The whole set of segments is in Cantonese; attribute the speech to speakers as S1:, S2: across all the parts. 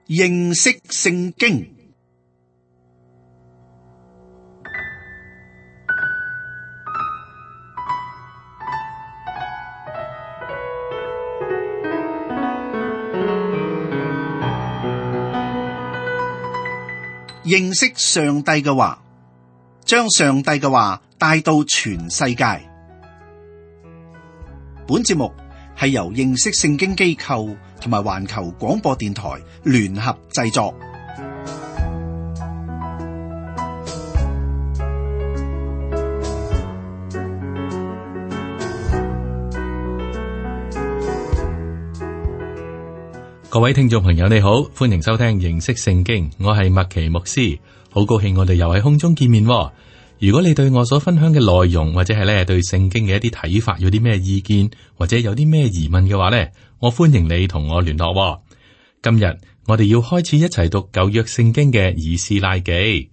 S1: 認識聖經。認識上帝嘅話，將上帝嘅話帶到全世界。本節目係由認識聖經機構同埋環球廣播電台聯合製作。
S2: 各位聽眾朋友你好，歡迎收聽認識聖經，我係麥奇牧師，好高興我哋又喺空中見面。如果你對我所分享嘅內容或者係咧對聖經嘅一啲睇法有啲咩意見或者有啲咩疑問嘅話呢，我歡迎你同我聯絡。今日我哋要開始一齊讀舊約聖經嘅以斯拉記。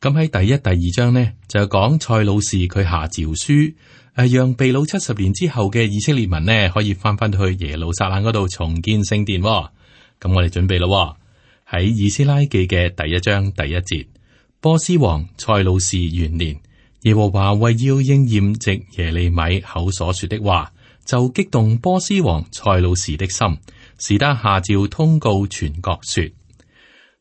S2: 咁喺第一、第二章呢，就講塞魯士佢下詔書，讓被擄70年之後嘅以色列民呢可以翻去耶路撒冷嗰度重建聖殿。咁我哋準備咯，喺以斯拉記嘅第一章第一節，波斯王塞魯士元年，耶和華為要應驗藉耶利米口所說的話，就激動波斯王塞魯士的心，使他下詔通告全國說。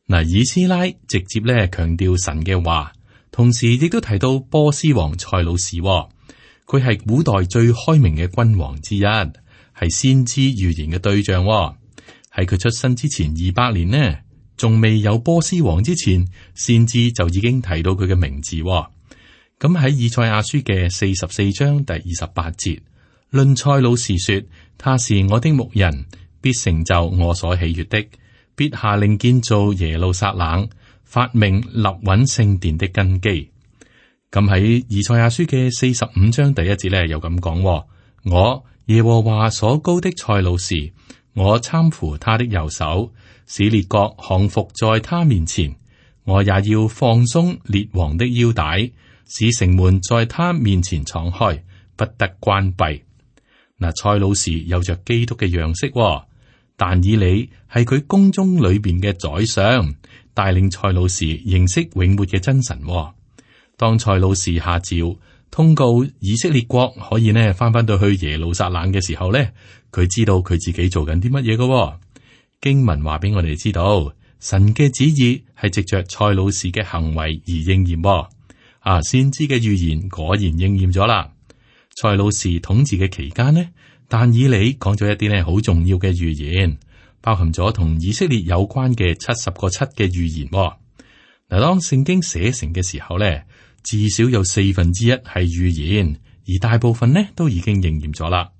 S2: 嗱，以斯拉直接咧強調神嘅話，同時亦都提到波斯王塞魯士，佢係古代最開明嘅君王之一，係先知預言嘅對象。喺佢出生之前200年呢，仲未有波斯王之前，先知就已經提到佢嘅名字。咁喺以賽亞書嘅44章第28節，論塞魯士說，他是我的牧人，必成就我所喜悅的，必下令建造耶路撒冷，發命立穩聖殿的根基。咁喺以賽亞書嘅45章第一節咧，又咁講：我耶和華所膏的塞魯士，我攙扶他的右手，使列國降服在他面前。我也要放鬆列王的腰帶，使城門在他面前敞開，不得關閉。嗱，塞魯士有着基督嘅樣式，但以理係佢宮中裏邊嘅宰相，帶領塞魯士認識永活嘅真神。當塞魯士下詔通告以色列國可以呢翻到去耶路撒冷嘅時候呢，佢知道佢自己做緊啲乜嘢嘅。經文話俾我哋知道，神嘅旨意係藉着塞魯士嘅行為而應驗。先知嘅預言果然應驗咗啦。塞魯士統治嘅期間呢，但以理講咗一啲呢好重要嘅預言，包含咗同以色列有關嘅70個7嘅預言。嗱，當聖經寫成嘅時候呢，至少有1/4係預言，而大部分呢都已經應驗咗啦。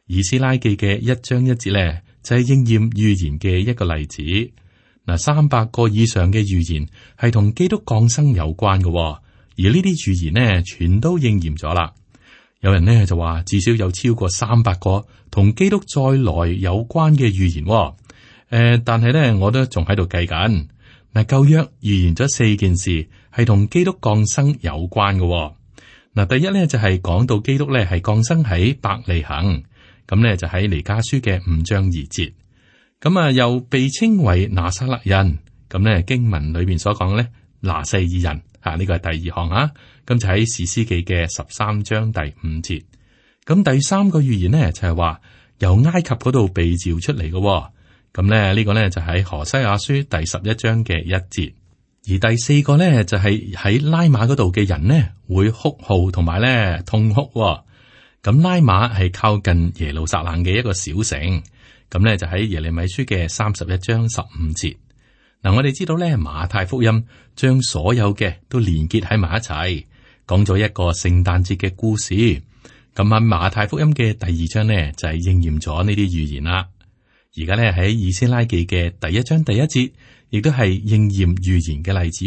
S2: 以斯拉記嘅1章1節呢，就係應驗預言嘅一個例子。嗱，300個以上嘅預言係同基督降生有關嘅，而呢啲預言呢，全都應驗咗啦。有人呢就話，至少有超過300個同基督再來有關嘅預言。但係呢，我都仲喺度計緊。嗱，舊約預言咗4件事係同基督降生有關嘅。嗱，第一呢，就係講到基督呢係降生喺伯利恆。咁呢就喺彌迦書嘅5章2節，咁又被稱為拿撒勒人。咁呢經文裏邊所講呢，拿細耳人呢個係第2項啊。咁就喺士師記嘅13章第5節。咁第3個預言呢，就係話由埃及嗰度被召出嚟嘅。咁呢個呢，就喺何西阿書第11章嘅1節。而第4個呢，就係喺拉馬嗰度嘅人呢會哭號同埋呢痛哭。咁拉馬係靠近耶路撒冷嘅一個小城，咁咧就喺耶利米書嘅31章15節。嗱，我哋知道咧馬太福音將所有嘅都連結喺埋一齊，講咗一個聖誕節嘅故事。咁喺馬太福音嘅第2章呢，就係應驗咗呢啲預言啦。而家咧喺以斯拉記嘅第1章第1節，亦都係應驗預言嘅例子。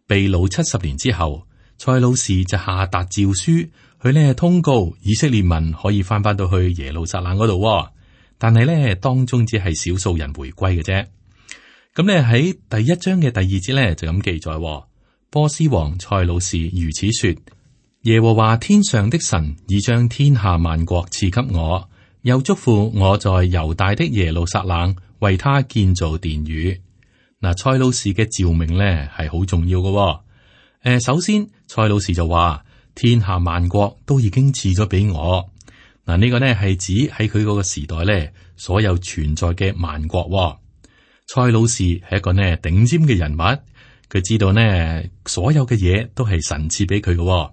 S2: 被擄70年之後，塞魯士就下達詔書。佢呢通告以色列民可以翻到去耶路撒冷嗰度，但係呢當中只係少數人回歸嘅啫。咁呢喺第1章嘅第2節呢就咁記載，波斯王塞魯士如此說：耶和華天上的神已將天下萬國賜給我，又囑咐我在猶大的耶路撒冷為他建造殿宇。嗱，蔡老士嘅召命咧係好重要嘅。首先蔡老士就話天下萬國都已經賜咗俾我。嗱，呢個呢係指喺佢嗰個時代咧所有存在嘅萬國。蔡老士係一個呢頂尖嘅人物，佢知道呢所有嘅嘢都係神賜俾佢嘅。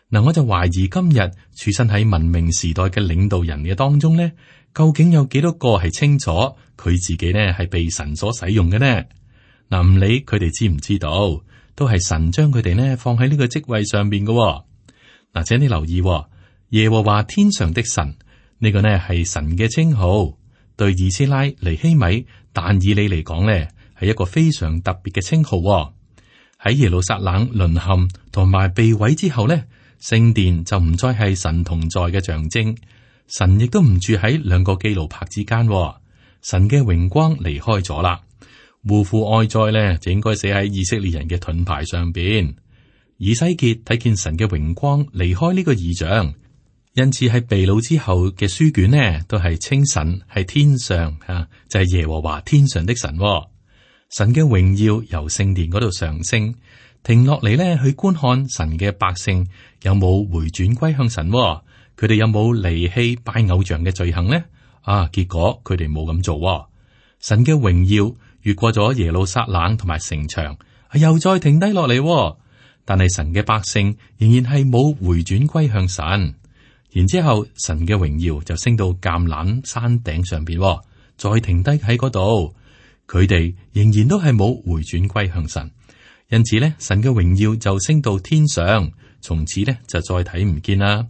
S2: 嗱，我就懷疑今日處身喺文明時代嘅領導人嘅當中呢，究竟有幾多個係清楚佢自己呢係被神所使用嘅呢？嗱，唔理佢哋知唔知道，都係神將佢哋呢放喺呢個職位上邊嘅。嗱，請你留意，耶和華天上的神呢個呢係神嘅稱號，對以斯拉、尼希米、但以理嚟講呢係一個非常特別嘅稱號。喺耶路撒冷淪陷同埋被毀之後呢，聖殿就唔再係神同在嘅象徵，神亦都唔住喺兩個基路伯之間，神嘅榮光離開咗啦。護父愛在呢，就應該寫喺以色列人嘅盾牌上邊。以西結睇見神嘅榮光離開呢個異象，因此喺被擄之後嘅書卷呢，都係稱神係天上就係耶和華天上的神。神嘅榮耀由聖殿嗰度上升，停落嚟呢去觀看神嘅百姓有冇回轉歸向神，佢哋有冇離棄拜偶像嘅罪行呢？結果佢哋冇咁做。神嘅榮耀越過咗耶路撒冷同埋城牆，又再停低落嚟，但係神嘅百姓仍然係冇回轉歸向神。然之後神嘅榮耀就升到橄欖山頂上邊，再停低喺嗰度。佢哋仍然都係冇回轉歸向神，因此咧，神嘅榮耀就升到天上，從此咧就再睇唔見啦。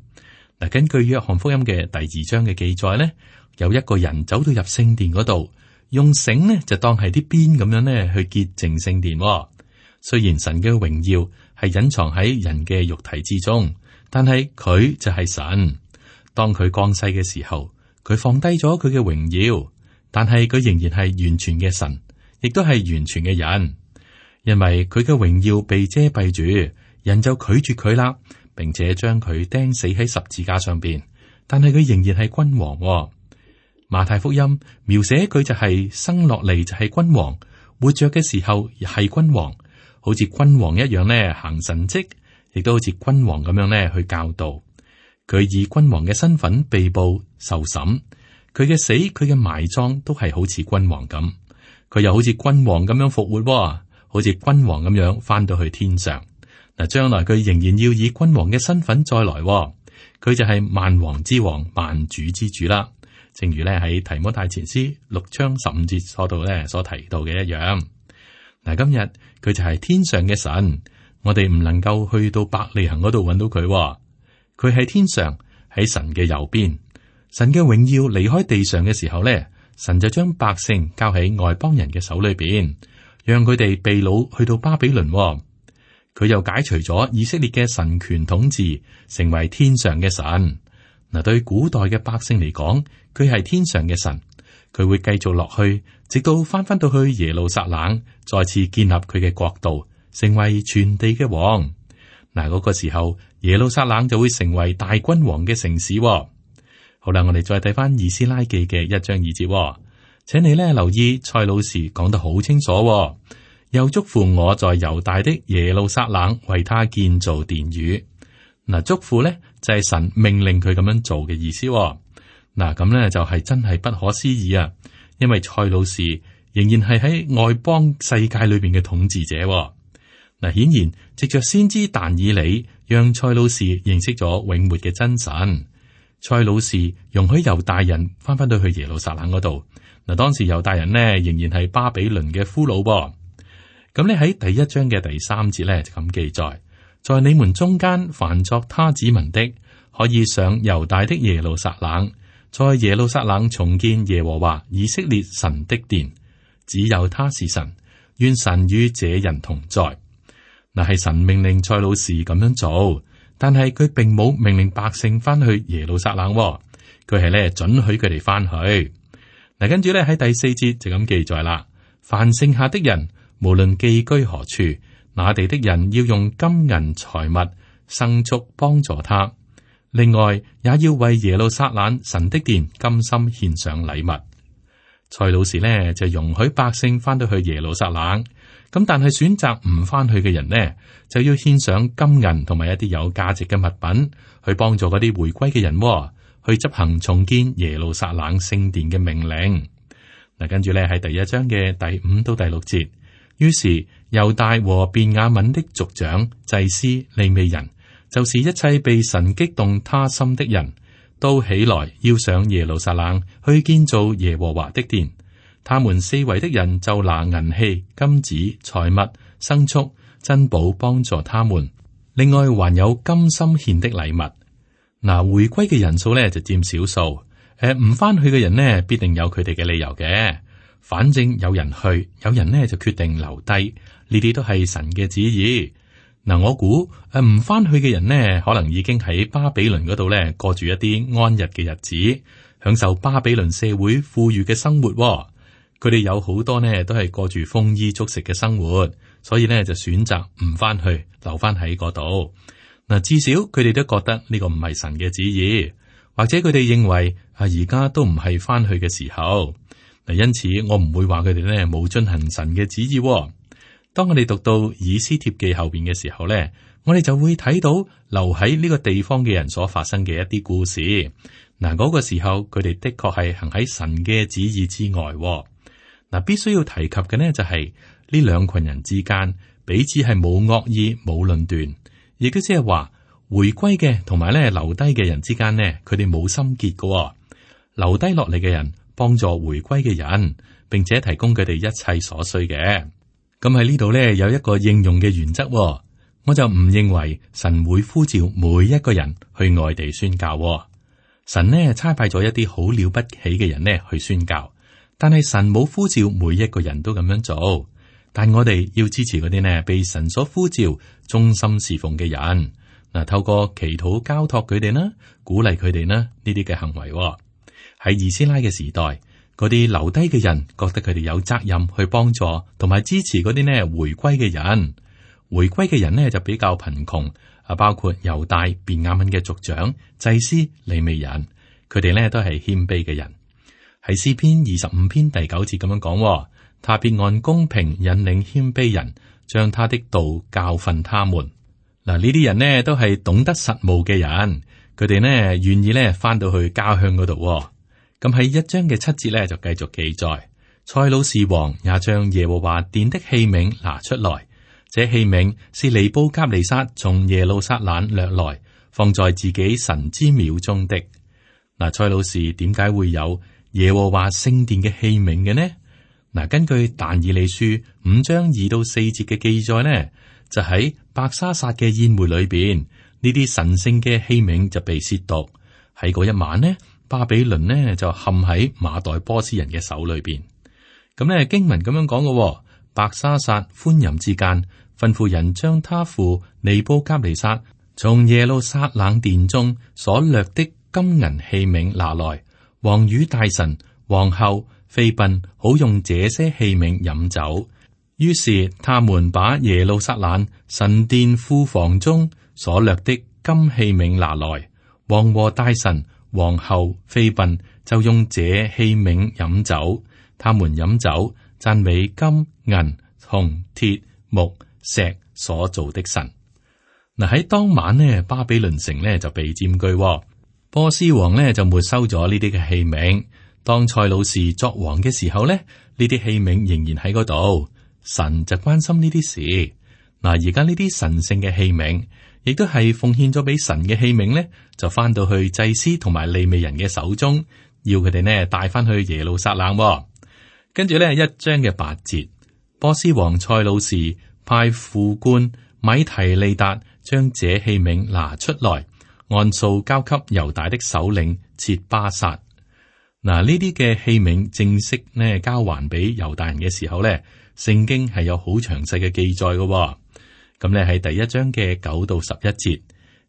S2: 嗱，根據約翰福音嘅第2章嘅記載咧，有一個人走到入聖殿嗰度，用繩呢就當係啲鞭咁樣咧去潔淨聖殿。雖然神嘅榮耀係隱藏喺人嘅肉體之中，但係佢就係神。當佢降世嘅時候，佢放低咗佢嘅榮耀。但係佢仍然係完全嘅神，亦都係完全嘅人，因為佢嘅榮耀被遮蔽住，人就拒絕佢啦，並且將佢釘死喺十字架上邊。但係佢仍然係君王。馬太福音描寫佢就係生落嚟就係君王，活着嘅時候係君王，好似君王一樣呢行神蹟，亦都好似君王咁樣呢去教導。佢以君王嘅身份被捕受審。佢嘅死，佢嘅埋葬都係好似君王咁，佢又好似君王咁樣復活，好似君王咁樣翻到去天上。嗱，將來佢仍然要以君王嘅身份再來，佢就係萬王之王、萬主之主啦。正如咧喺提摩太前書6章15節嗰度咧所提到嘅一樣。嗱，今日佢就係天上嘅神，我哋唔能夠去到伯利恆嗰度揾到佢，佢喺天上，喺神嘅右邊。神嘅榮耀離開地上嘅時候咧，神就將百姓交喺外邦人嘅手裏邊，讓佢哋被擄去到巴比倫。佢又解除咗以色列嘅神權統治，成為天上嘅神。嗱，對古代嘅百姓嚟講，佢係天上嘅神，佢會繼續落去，直到翻到去耶路撒冷，再次建立佢嘅國度，成為全地嘅王。嗱，嗰個時候，耶路撒冷就會成為大君王嘅城市。好啦，我哋再睇翻以斯拉記嘅1章2節，請你咧留意蔡老師講得好清楚，又囑咐我在猶大的耶路撒冷為他建造殿宇。嗱，囑咐咧就係神命令佢咁樣做嘅意思。嗱，咁咧就係真係不可思議啊！因為蔡老師仍然係喺外邦世界裏邊嘅統治者。嗱，顯然藉着先知但以理，讓蔡老師認識咗永活嘅真神。蔡老士容許猶大人翻到去耶路撒冷嗰度。嗱，當時猶大人呢仍然係巴比倫嘅俘虜。咁你喺第1章嘅第3節咧就咁記載：在你們中間凡作他子民的，可以上猶大的耶路撒冷，在耶路撒冷重建耶和華以色列神的殿，只有他是神，願神與這人同在。嗱，係神命令蔡老士咁樣做。但係佢並冇命令百姓翻去耶路撒冷，佢係咧准許佢哋翻去。嗱，跟住咧喺第4節就咁記載啦：凡剩下的人，無論寄居何處，那地的人要用金銀財物牲畜幫助他。另外，也要為耶路撒冷神的殿甘心獻上禮物。塞魯士呢就容許百姓翻到去耶路撒冷，咁但係選擇唔翻去嘅人呢，就要獻上金銀同埋一啲有價值嘅物品，去幫助嗰啲回歸嘅人，去執行重建耶路撒冷聖殿嘅命令。嗱，跟住咧喺第一章嘅第5到第6節，於是猶大和便雅憫的族長、祭司、利未人，就是一切被神激動他心的人，都起來要上耶路撒冷去建造耶和華的殿。他們四圍的人就拿銀器、金子、財物、牲畜、珍寶幫助他們，另外還有甘心獻的禮物。嗱，回歸嘅人數咧就佔少數。唔翻去嘅人呢，必定有佢哋嘅理由嘅。反正有人去，有人呢就決定留低，呢啲都係神嘅旨意。嗱，我估唔翻去嘅人呢，可能已經喺巴比倫嗰度咧過住一啲安逸嘅日子，享受巴比倫社會富裕嘅生活。佢哋有好多呢都係過住豐衣足食嘅生活，所以呢就選擇唔翻去，留翻喺嗰度。嗱，至少佢哋都覺得呢個唔係神嘅旨意。或者佢哋認為而家都唔係翻去嘅時候，嗱，因此我唔會話佢哋咧冇遵行神嘅旨意。當我哋讀到以斯帖記後邊嘅時候咧，我哋就會睇到留喺呢個地方嘅人所發生嘅一啲故事。嗱，嗰個時候佢哋的確係行喺神嘅旨意之外。嗱，必須要提及嘅呢就係呢兩群人之間彼此係冇惡意、冇論斷，亦都即係話。回歸嘅同埋咧留低嘅人之間呢，佢哋冇心結嘅。留低落嚟嘅人幫助回歸嘅人，並且提供佢哋一切所需嘅。咁喺呢度呢，有一個應用嘅原則，我就唔認為神會呼召每一個人去外地宣教。神呢差派咗一啲好了不起嘅人呢去宣教，但係神冇呼召每一個人都咁樣做。但我哋要支持嗰啲呢被神所呼召忠心侍奉嘅人。嗱，透過祈禱交託佢哋啦，鼓勵佢哋啦，呢啲嘅行為喺以斯拉嘅時代，嗰啲留低嘅人覺得佢哋有責任去幫助同埋支持嗰啲呢回歸嘅人。回歸嘅人呢就比較貧窮，包括猶大、便雅憫嘅族長、祭司、利未人，佢哋呢都係謙卑嘅人。喺詩篇25篇第9節咁樣講，他必按公平引領謙卑人，將他的道教訓他們。嗱，呢啲人呢都係懂得實務嘅人，佢哋呢願意呢翻到去家鄉嗰度。咁喺1章嘅7節呢就繼續記載，塞魯士王也將耶和華殿的器皿拿出來，這器皿是尼布甲尼撒從耶路撒冷掠來，放在自己神之廟中的。嗱，塞魯士點解會有耶和華聖殿嘅器皿嘅呢？嗱，根據但以理書5章2到4節嘅記載呢，就喺伯沙撒嘅宴會裏邊，呢啲神聖嘅器皿就被褻瀆。喺嗰一晚呢，巴比倫呢就陷喺馬代波斯人嘅手裏邊。咁呢經文咁樣講嘅，伯沙撒歡飲之間，吩咐人將他父尼布甲尼撒從耶路撒冷殿中所掠的金銀器皿拿來，王與大臣、皇后、妃嬪好用這些器皿飲酒。於是他們把耶路撒冷神殿庫房中所掠的金器皿拿來，王和大臣、皇后、妃嬪就用這器皿飲酒。他們飲酒讚美金、銀、銅、鐵、木、石所造的神。嗱，喺當晚呢，巴比倫城呢就被佔據，波斯王呢就沒收咗呢啲嘅器皿。當塞魯士作王嘅時候呢，呢啲器皿仍然喺嗰度。神就關心呢啲事。嗱，而家呢啲神聖嘅器皿，亦都係奉獻咗俾神嘅器皿呢，就翻到去祭司同埋利未人嘅手中，要佢哋呢帶翻去耶路撒冷。跟住呢1章嘅8節，波斯王塞魯士派副官米提利達將這器皿拿出來，按數交給猶大的首領切巴撒。嗱，呢啲嘅器皿正式呢交還俾猶大人嘅時候呢，聖經係有好詳細嘅記載嘅。咁咧喺第1章嘅9到11節，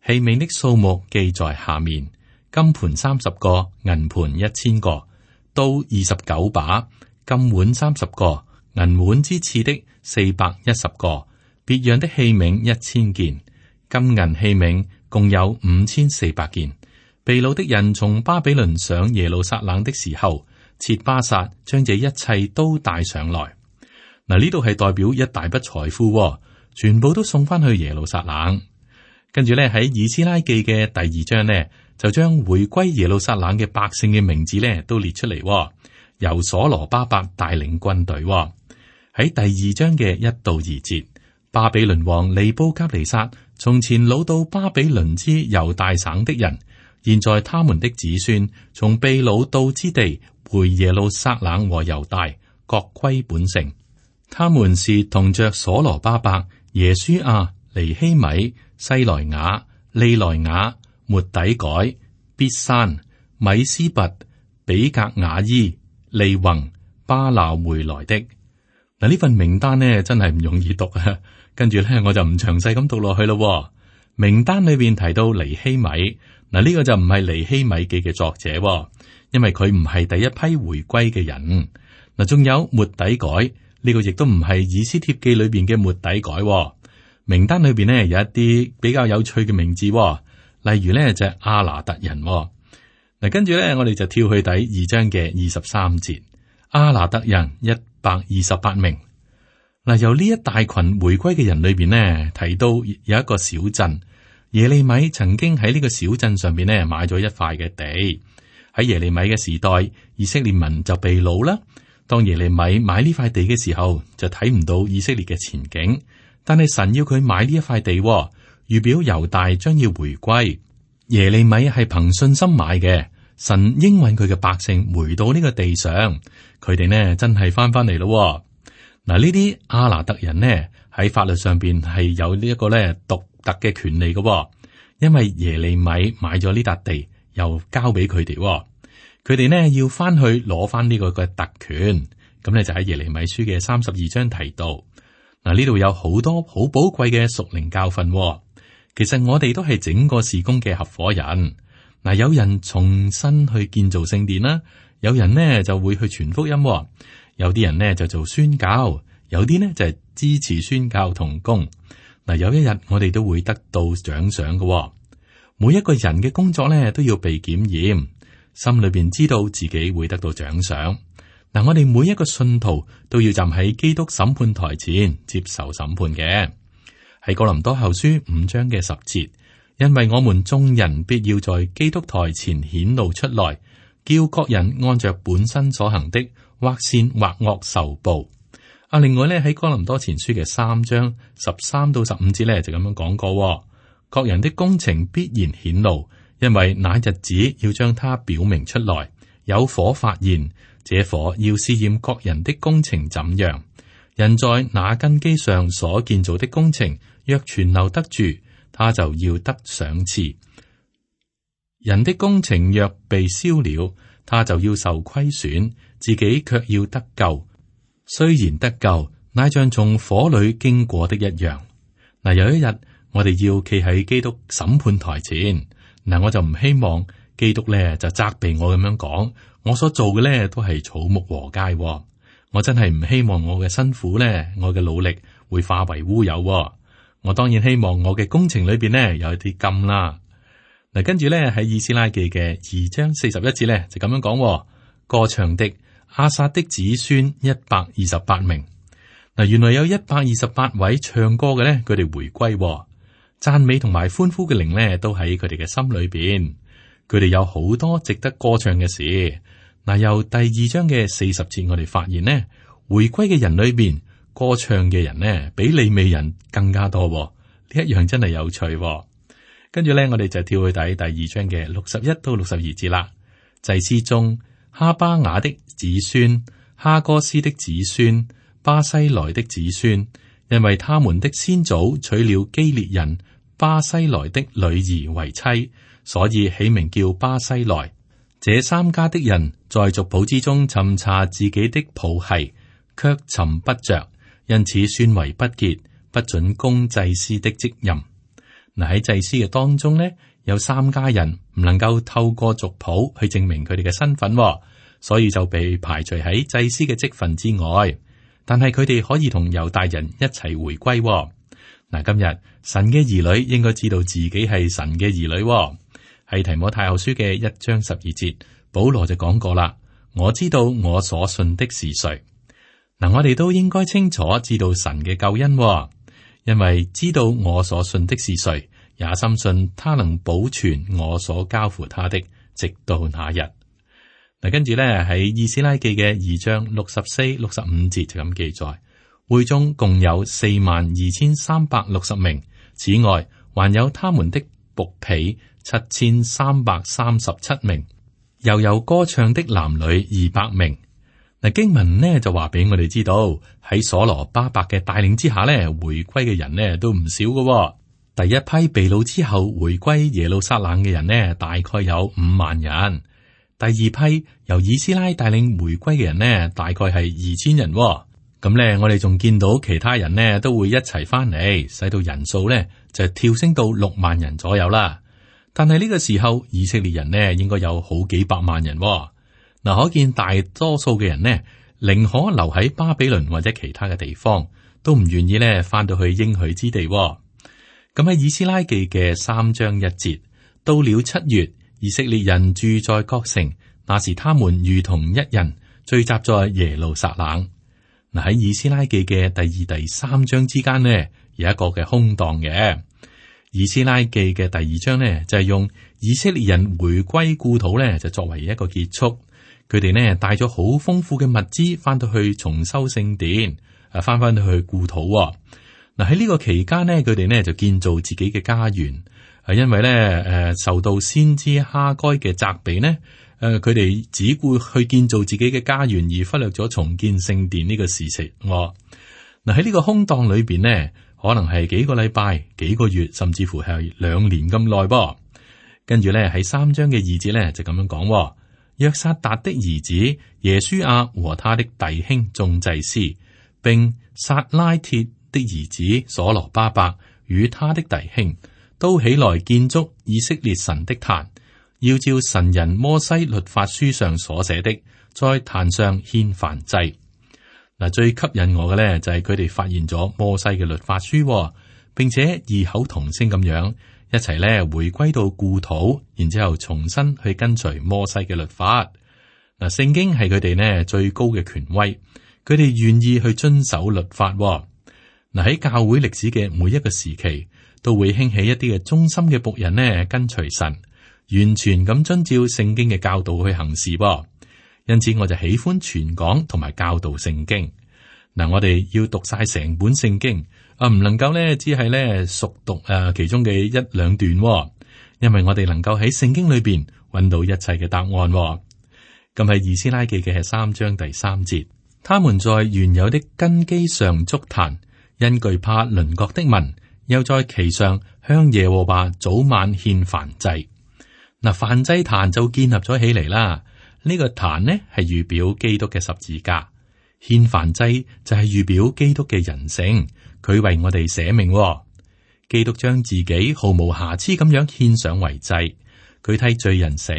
S2: 器皿的數目記在下面：金盤30個，銀盤1000個，刀29把，金碗30個，銀碗之次的410個，別樣的器皿1000件，金銀器皿共有5400件。被擄的人從巴比倫上耶路撒冷的時候，設巴撒，將這一切都帶上來。嗱，呢度係代表一大筆財富，全部都送翻去耶路撒冷。跟住咧喺以斯拉記嘅第2章呢，就將回歸耶路撒冷嘅百姓嘅名字咧都列出嚟，由所羅巴伯帶領軍隊。喺第2章嘅1到2節，巴比倫王尼布甲尼撒從前擄到巴比倫之猶大省的人，現在他們的子孫從被擄到之地回耶路撒冷和猶大，各歸本城。他們是同着所羅巴伯、耶書亞、尼希米、西萊雅、利萊雅、末底改、必山、米斯拔、比格雅伊、利宏、巴鬧回來的。嗱，呢份名單呢真係唔容易讀啊！跟住咧我就唔詳細咁讀落去咯。名單裏邊提到尼希米，嗱，呢個就唔係尼希米記嘅作者，因為佢唔係第一批回歸嘅人。嗱，仲有末底改，呢個亦都唔係以斯帖記裏邊嘅末底改。名單裏邊呢有一啲比較有趣嘅名字，例如呢就係亞拿突人。嗱，跟住咧我哋就跳去第2章嘅23節，亞拿突人128名。嗱，由呢一大群回歸嘅人裏邊呢，提到有一個小鎮耶利米，曾經喺呢個小鎮上邊呢買咗一塊嘅地。喺耶利米嘅時代，以色列民就被擄啦。當耶利米買呢塊地嘅時候，就睇唔到以色列嘅前景。但係神要佢買呢一塊地，預表猶大將要回歸。耶利米係憑信心買嘅，神應允佢嘅百姓回到呢個地上，佢哋呢真係翻嚟咯。嗱，呢啲亞拿突人呢喺法律上邊係有呢一個咧獨特嘅權利嘅，因為耶利米買咗呢笪地，又交俾佢哋，佢哋呢要翻去攞翻呢個嘅特權。咁咧就喺耶利米書嘅32章提到。嗱，呢度有好多好寶貴嘅屬靈教訓。其實我哋都係整個事工嘅合夥人。嗱，有人重新去建造聖殿啦，有人呢就會去傳福音，有啲人呢就做宣教，有啲呢就係支持宣教同工。嗱，有一日我哋都會得到獎賞嘅。每一個人嘅工作呢都要被檢驗，心裏邊知道自己會得到獎賞。嗱，我哋每一個信徒都要站喺基督審判台前接受審判嘅。喺哥林多後書5章嘅10節，因為我們眾人必要在基督台前顯露出來，叫各人按着本身所行的，或善或惡受報。另外咧喺哥林多前書嘅3章13到15節咧就咁樣講過，各人的工程必然顯露，因為那日子要將它表明出來，有火發現。這火要試驗各人的工程怎樣。人在那根基上所建造的工程，若存留得住，他就要得賞賜；人的工程若被燒了，他就要受虧損，自己卻要得救。雖然得救，乃像從火裏經過的一樣。嗱，有一日我哋要企喺基督審判台前，嗱，我就唔希望基督咧就責備我咁樣講。我所做嘅咧都係草木禾秸，我真係唔希望我嘅辛苦咧，我嘅努力會化為烏有。我當然希望我嘅工程裏邊咧有啲金啦。嗱，跟住咧喺以斯拉記嘅2章41節咧就咁樣講，歌唱的亞薩的子孫128名。嗱，原來有128位唱歌嘅咧，佢哋回歸，讚美同埋歡呼嘅靈咧都喺佢哋嘅心裏邊。佢哋有好多值得歌唱嘅事。嗱，由第2章嘅40節，我哋發現呢，回歸嘅人裏邊，歌唱嘅人呢，比利未人更加多。呢一樣真係有趣。跟住咧，我哋就跳去第2章嘅61到62節啦。祭司中，哈巴雅的子孫、哈哥斯的子孫、巴西萊的子孫，因為他們的先祖娶了基列人巴西萊的女兒為妻，所以起名叫巴西萊。這3家的人在族譜之中尋查自己的譜系，卻尋不着，因此算為不潔，不准供祭司的職任。嗱，喺祭司嘅當中呢，有3家人唔能夠透過族譜去證明佢哋嘅身份，所以就被排除喺祭司嘅職分之外。但係佢哋可以同猶大人一齊回歸。嗱，今日神嘅兒女應該知道自己係神嘅兒女。喺提摩太後書嘅1章12節，保羅就講過啦：我知道我所信的是誰。嗱，我哋都應該清楚知道神嘅救恩，因為知道我所信的是誰，也深信他能保存我所交付他的，直到那日。嗱，跟住咧喺以斯拉記嘅2章64、65節就咁記載，會中共有42,360名，此外還有他們的僕婢7,337名，又有歌唱的男女200名。嗱，經文呢就話俾我哋知道，喺所羅巴伯嘅帶領之下呢，回歸嘅人呢都唔少嘅。第一批被擄之後回歸耶路撒冷嘅人呢，大概有5萬人。第二批由以斯拉帶領回歸嘅人呢，大概係2,000人。咁呢，我哋仲見到其他人呢都會一齊翻嚟，使到人數呢就跳升到6萬人左右啦。但係呢個時候，以色列人呢應該有好幾百萬人。嗱，可見大多數嘅人呢，寧可留喺巴比倫或者其他嘅地方，都唔願意呢翻到去應許之地。咁喺以斯拉記嘅3章1節，到了7月，以色列人住在各城，那時他們如同一人聚集在耶路撒冷。嗱，喺以斯拉記嘅第2、第3章之間呢，有一個嘅空檔嘅。以斯拉記嘅第2章呢，就係用以色列人回歸故土呢，就作為一個結束。佢哋呢帶咗好豐富嘅物資翻到去重修聖殿，翻到去故土。嗱，喺呢個期間呢，佢哋呢就建造自己嘅家園。因為呢受到先知哈該嘅責備呢，佢哋只顧去建造自己嘅家園，而忽略咗重建聖殿呢個事情。嗱，喺呢個空檔裏邊呢，可能係幾個禮拜、幾個月，甚至乎係2年咁耐噃。跟住呢，喺3章嘅2節呢，就咁樣講。約撒達的兒子耶書亞和他的弟兄眾祭司，並撒拉鐵的兒子所羅巴伯與他的弟兄，都起來建築以色列神的壇，要照神人摩西律法書上所寫的，在壇上獻燔祭。嗱，最吸引我嘅咧就係佢哋發現咗摩西嘅律法書，並且異口同聲咁樣一齊咧回歸到故土，然之後重新去跟隨摩西嘅律法。嗱，聖經係佢哋呢最高嘅權威，佢哋願意去遵守律法。嗱，喺教會歷史嘅每一個時期，都會興起一啲嘅忠心嘅僕人呢跟隨神，完全咁遵照聖經嘅教導去行事。因此我就喜歡傳講同埋教導聖經。嗱，我哋要讀晒成本聖經。唔能夠咧，只係咧熟讀其中嘅1、2段，因為我哋能夠喺聖經裏邊揾到一切嘅答案。咁喺以斯拉記嘅3章第3節，他們在原有的根基上築壇，因懼怕鄰國的民，又在其上向耶和華早晚獻燔祭。嗱，燔祭壇就建立咗起嚟啦。呢個壇呢係預表基督嘅十字架，獻燔祭就係預表基督嘅人性。佢為我哋捨命，基督將自己毫無瑕疵咁樣獻上為祭，佢替罪人死。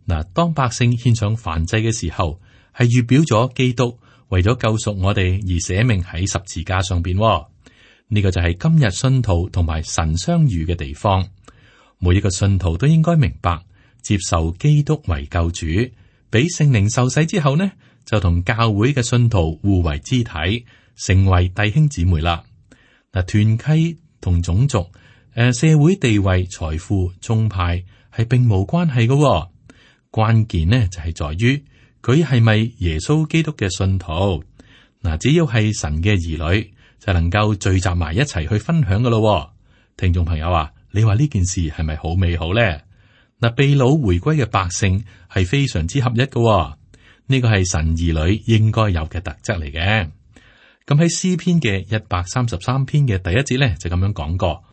S2: 嗱，當百姓獻上燔祭嘅時候，係預表咗基督為咗救贖我哋而捨命喺十字架上邊。呢個就係今日信徒同埋神相遇嘅地方。每一個信徒都應該明白，接受基督為救主，俾聖靈受洗之後呢，就同教會嘅信徒互為肢體，成為弟兄姊妹啦。嗱，團契同種族、社會地位、財富、宗派係並無關係嘅。關鍵呢就係在於佢係咪耶穌基督嘅信徒。嗱，只要係神嘅兒女，就能夠聚集埋一齊去分享噶咯。聽眾朋友啊，你話呢件事係咪好美好咧？嗱，被擄回歸嘅百姓係非常之合一嘅。呢個係神兒女應該有嘅特質嚟嘅。咁喺詩篇嘅133篇嘅第1節咧，就咁樣講過：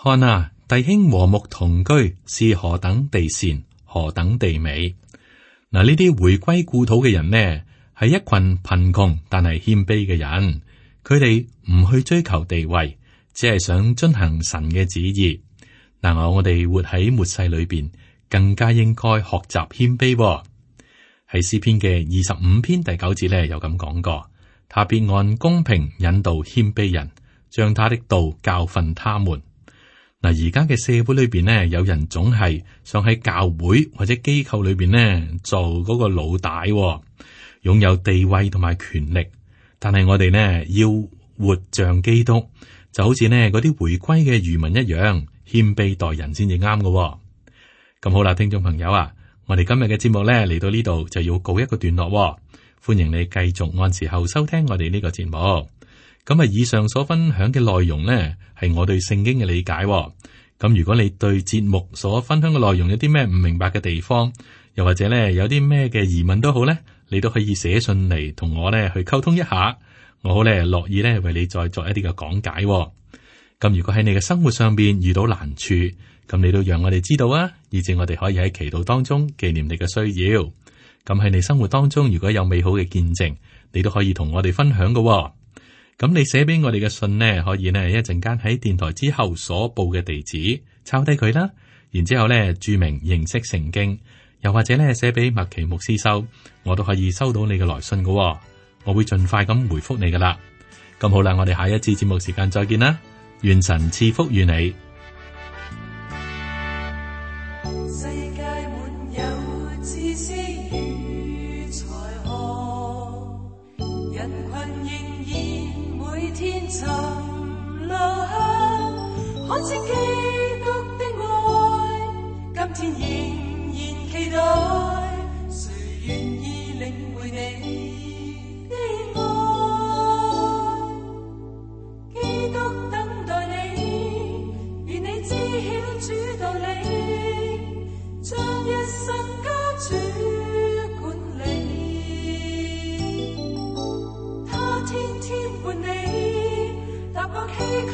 S2: 看啊，弟兄和睦同居是何等地善，何等地美。嗱，呢啲回歸故土嘅人呢，係一群貧窮但係謙卑嘅人，佢哋唔去追求地位，只係想遵行神嘅旨意。但我哋活喺末世裏邊，更加應該學習謙卑。喺詩篇嘅25篇第9節咧，有咁講過。他必按公平引導謙卑人，將他的道教訓他們。嗱，而家嘅社會裏邊呢，有人總係想喺教會或者機構裏邊呢做嗰個老大，擁有地位同埋權力。但係我哋呢要活像基督，就好似呢嗰啲回歸嘅漁民一樣，謙卑待人先至啱嘅。咁好啦，聽眾朋友啊，我哋今日嘅節目呢嚟到呢度就要告一個段落。歡迎你繼續按時候收聽我哋呢個節目。咁啊，以上所分享嘅內容呢，係我對聖經嘅理解。咁如果你對節目所分享嘅內容有啲咩唔明白嘅地方，又或者呢有啲咩嘅疑問都好呢，你都可以寫信嚟同我呢去溝通一下。我好呢樂意呢為你再作一啲嘅講解。咁如果喺你嘅生活上邊遇到難處，咁你都讓我哋知道啊，以至我哋可以喺祈禱當中紀念你嘅需要。咁喺你生活當中如果有美好嘅見證，你都可以同我哋分享嘅。咁你寫俾我哋嘅信呢，可以呢一陣間喺電台之後所報嘅地址抄低佢啦，然之後呢注明認識聖經，又或者呢寫俾麥奇牧師收，我都可以收到你嘅來信嘅。我會盡快咁回覆你噶啦。咁好啦，我哋下一次節目時間再見啦，願神賜福與你。
S3: 世界滿有知識與才學，人群仍然每天尋路向，看見基督的愛，今天仍然期待，誰願意領會你的愛？基督等待你，願你知曉主道理，將一生交主管理，他天天伴你，踏過崎嶇